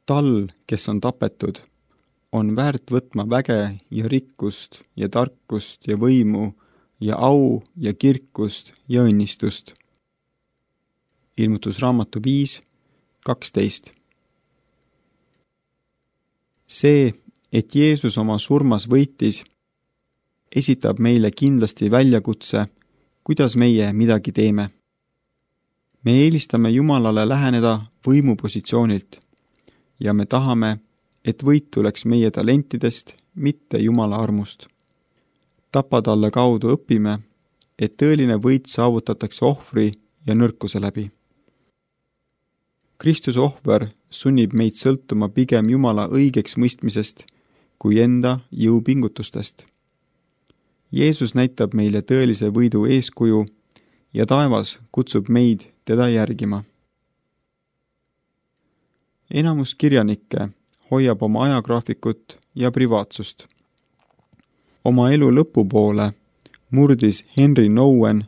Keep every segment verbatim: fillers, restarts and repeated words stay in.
Tal, kes on tapetud, on väärt võtma väge ja rikkust ja tarkust ja võimu ja au ja kirkust ja õnnistust. Ilmutusraamatu viis kaksteist. See, et Jeesus oma surmas võitis, esitab meile kindlasti väljakutse, kuidas meie midagi teeme. Me eelistame Jumalale läheneda võimupositsioonilt ja me tahame, et võit tuleks meie talentidest, mitte Jumala armust. Tapatalle kaudu õpime, et tõeline võit saavutatakse ohvri ja nõrkuse läbi. Kristuse ohver sunnib meid sõltuma pigem Jumala õigeks mõistmisest kui enda jõupingutustest. Jeesus näitab meile tõelise võidu eeskuju ja taevas kutsub meid teda järgima. Enamus kirjanikke hoiab oma ajagraafikut ja privaatsust. Oma elu lõpupoole murdis Henry Nouwen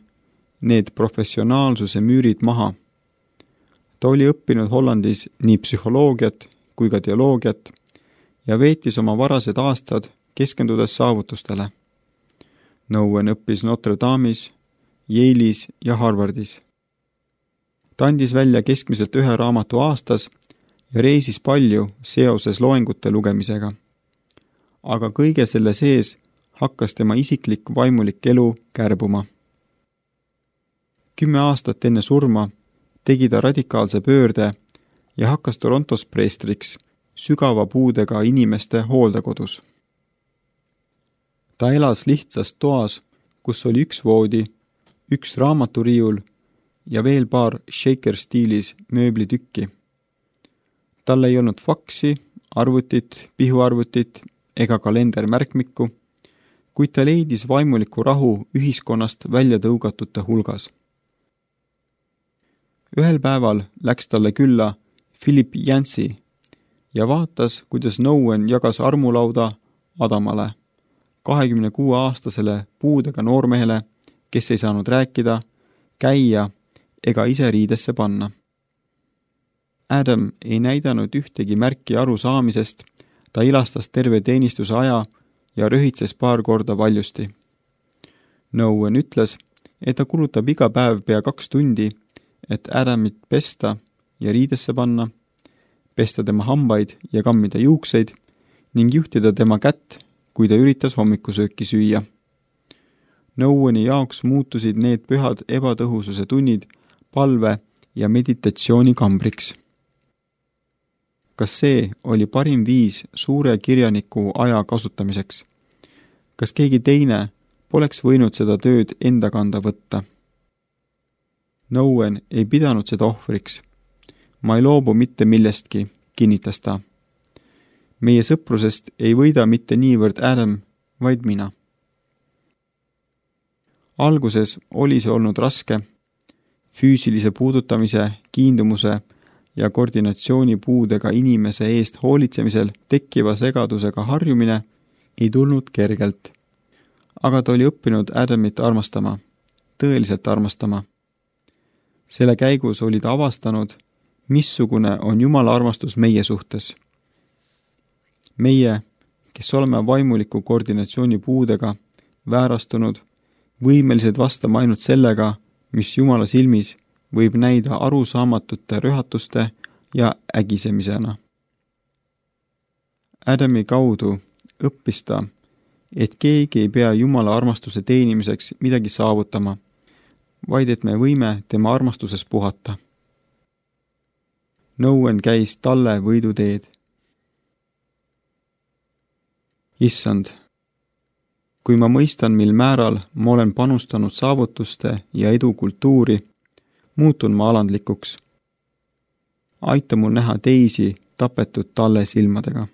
need professionaalsuse müürid maha. Ta oli õppinud Hollandis nii psühholoogiat kui ka teoloogiat ja veetis oma varased aastad keskendudes saavutustele. Nouwen õppis Notre Dame'is, Yale'is ja Harvardis. Ta andis välja keskmiselt ühe raamatu aastas ja reisis palju seoses loengute lugemisega. Aga kõige selle sees hakkas tema isiklik vaimulik elu kärbuma. Kümme aastat enne surma tegi ta radikaalse pöörde ja hakkas Torontos preestriks sügava puudega inimeste hooldekodus. Ta elas lihtsas toas, kus oli üks voodi, üks raamaturiiul ja veel paar shaker-stiilis mööblitükki. Tal ei olnud faksi, arvutit, pihuarvutit ega kalendermärkmikku, kuid ta leidis vaimuliku rahu ühiskonnast välja tõugatute hulgas. Ühel päeval läks talle külla Philip Yancey ja vaatas, kuidas Nouwen jagas armulauda Adamale, kahekümne kuue aastasele puudega noormehele, kes ei saanud rääkida, käia ega ise riidesse panna. Adam ei näidanud ühtegi märki arusaamisest, ta ilastas terve teenistuse aja ja röhitses paar korda valjusti. Nouwen ütles, et ta kulutab iga päev pea kaks tundi, et Adamit pesta ja riidesse panna, pesta tema hambaid ja kammida juukseid ning juhtida tema kätt, kui ta üritas hommikusööki süüa. Nouweni jaoks muutusid need pühad ebatõhususe tunnid palve ja meditatsiooni kambriks. Kas see oli parim viis suure kirjaniku aja kasutamiseks? Kas keegi teine poleks võinud seda tööd enda kanda võtta? Nouwen ei pidanud seda ohvriks. Ma ei loobu mitte millestki, kinnitas ta. Meie sõprusest ei võida mitte niivõrd Adam, vaid mina. Alguses oli see olnud raske. Füüsilise puudutamise, kiindumuse ja koordinatsioonipuudega inimese eest hoolitsemisel tekkiva segadusega harjumine ei tulnud kergelt. Aga ta oli õppinud Adamit armastama, tõeliselt armastama. Selle käigus oli ta avastanud, missugune on Jumala armastus meie suhtes. Meie, kes oleme vaimuliku koordinatsiooni puudega, väärastunud, võimelised vastama ainult sellega, mis Jumala silmis võib näida arusaamatute rühatuste ja ägisemisena. Adami kaudu õppis ta, et keegi ei pea Jumala armastuse teenimiseks midagi saavutama, vaid et me võime tema armastuses puhata. Nouwen käis talle võiduteed. Issand, kui ma mõistan, mil määral ma olen panustanud saavutuste ja edu kultuuri, muutun ma alandlikuks. Aita mul näha teisi tapetud talle silmadega.